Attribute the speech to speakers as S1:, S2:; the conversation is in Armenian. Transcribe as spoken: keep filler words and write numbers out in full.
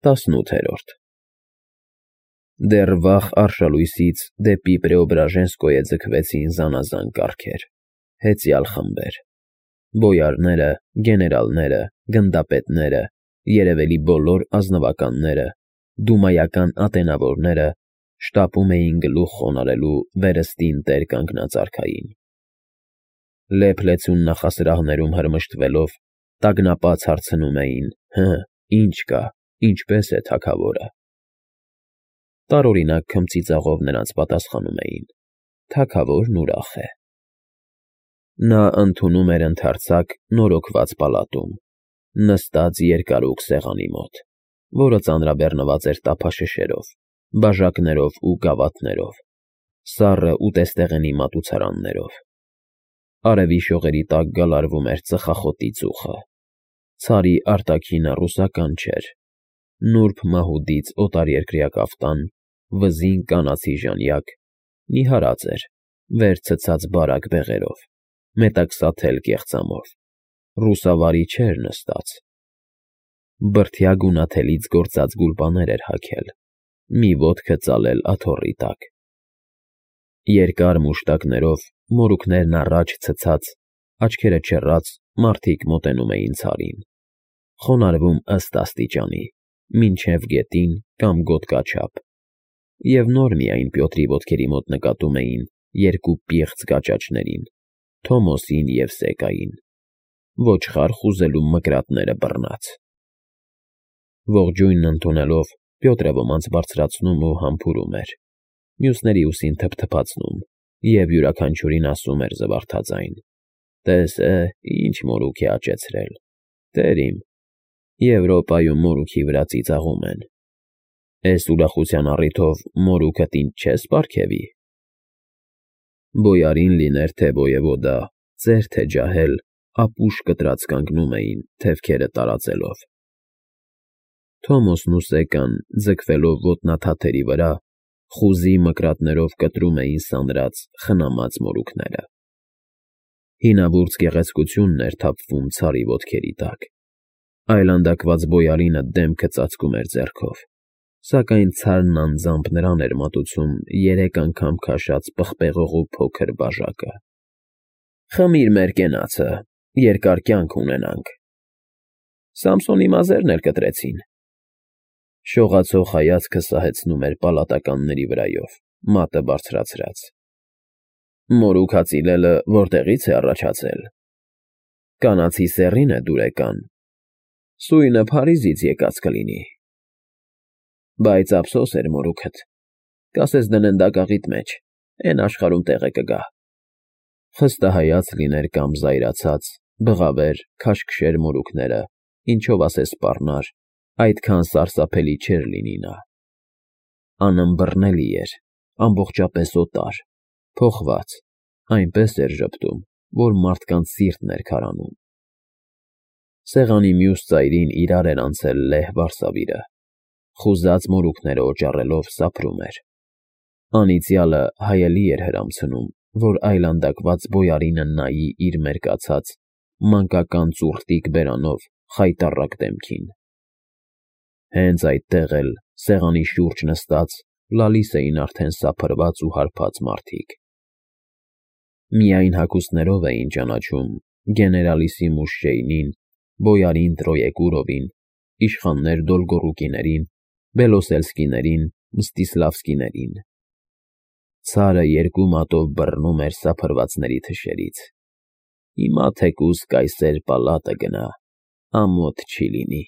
S1: տասնութերորդ Դեռ վաղ արշալույսից դեպի Պրեոբրաժենսկոյե ձգվեցին զանազան կարգեր, հեծյալ խմբեր. բոյարները, գեներալները, գնդապետները, երևելի բոլոր ազնվականները, դումայական ատենավորները շտապում էին գլուխ խոնարհելու վերստին տեր կանգնած արքային. լեփ-լեցուն նախասրահներում հրմշտվելով, տագնապած հարցնում էին. հը, ի՞նչ կա, ինչպե՞ս է թագավորը: Տարօրինակ քմծիծաղով նրանց պատասխանում էին. թագավորն ուրախ է: Նա ընդունում էր ընդարձակ նորոգված պալատում, նստած երկարուկ սեղանի մոտ, որը ծանրաբեռնված էր տափաշշերով, բաժակներով ու գավաթներով, սառը ուտեստեղենի մատուցարաններով: Արևի շողերի տակ գալարվում էր ծխախոտի ծուխը, ցարի արտաքինը ռուսական չէր, նուրբ մահուդից օտարերկրյա կաֆտան, վզին կանացի ժանյակ, նիհարած էր, վեր ցցած բարակ բեղերով, մետաքսաթել կեղծամով, ռուսավարի չէր նստած: Բրդյա գունաթելից գործած գուլպաներ էր հագել, մի ոտքը ծալել աթոռի տակ: Երկար մուշտակներով, մորուքներն առաջ ցցած, աչքերը չեռած մարդիկ մոտենում էին ցարին, խոնարհվում ըստ աստիճանի, մինչև գետին կամ գոտկաչափ, և նոր միայն Պյոտրի ոտքերի մոտ նկատում էին երկու պիղծ կաճաճներին՝ Թոմոսին և Սեկային, ոչխար խուզելու մկրատները բռնած: Ողջույնն ընդունելով, Պյոտրը ոմանց բարձրացնում ու համբուրում էր, մյուսների ուսին թփթփացնում և յուրաքանչյուրին ասում էր զվարթաձայն. «Տես է, ինչ մորուք է աճեցրել, տեր իմ, Եվրոպայում մորուքի վրա ծիծաղում են, էս ուրախության առիթով մորուքդ ինձ չես պարգևի»: Բոյարին լիներ թե ոյևոդա, ծեր թե ջահել, ապուշ կտրած կանգնում էին, թևքերը տարածելով: Թոմոսն ու Սեկան, ձգվելով ոտնաթաթերի վրա, խուզի մկրատներով կտրում էին սանրած, խնամած մորուքները: Հինավուրց գեղեցկությունն էր թափվում ցարի ոտքերի տակ: Այլանդակված բոյարինը դեմքը ծածկում էր ձեռքով, սակայն ցարն անձամբ նրան էր մատուցում երեք անգամ քաշած պղպեղողու փոքր բաժակը: «Խմիր մեր կենացը, երկար կյանք ունենանք»: Սամսոնի մազերն էլ կտրեցին: Շողացող հայացքը սահեցնում էր պալատականների վրայով, մատը բարձրացրած: Մորուք հացիլելը որտեղի՞ց է առաջացել: Կանացի սեռին է դուրեկան, սույնը Փարիզից եկած կլինի: Բայց ափսոս էր մորուքդ, կասես դնեն դագաղիդ մեջ, էն աշխարհում տեղը կգա: Խստահայաց լիներ կամ զայրացած, բղավեր, քաշքշեր մորուքները, ինչով ասես սպառնար, այդքան սարսափելի չէր լինի նա: Անըմբռնելի էր, ամբողջապես օտար, փոխված, այնպես էր ժպտում, որ մարդկանց սիրտն էր քարանում: Սեղանի մյուս ծայրին իրար էր անցել լեհ վարսավիրը, խուզած մորուքները օճառելով սափրում էր: Անիծյալը հայելի էր հրամցնում, որ այլանդակված բոյարինը նայի իր մերկացած, մանկական ծուռտիկ բերանով խայտառակ դեմքին: Հենց այդտեղ էլ, սեղանի շուրջ նստած, լալիս էին արդեն սափրված ու հարբած մարդիկ: Միայն հագուստներով էին ճանաչում գեներալիսիմուս Շեյնին, բոյարին Տրոեկուրովին, իշխաններ Դոլգոռուկիներին, Բելոսելսկիներին, Մստիսլավսկիներին: Ցարը երկու մատով բռնում էր սափրվածների թշերից: Հիմա թեկուզ կայսեր պալատը գնա, ամոթ չի լինի: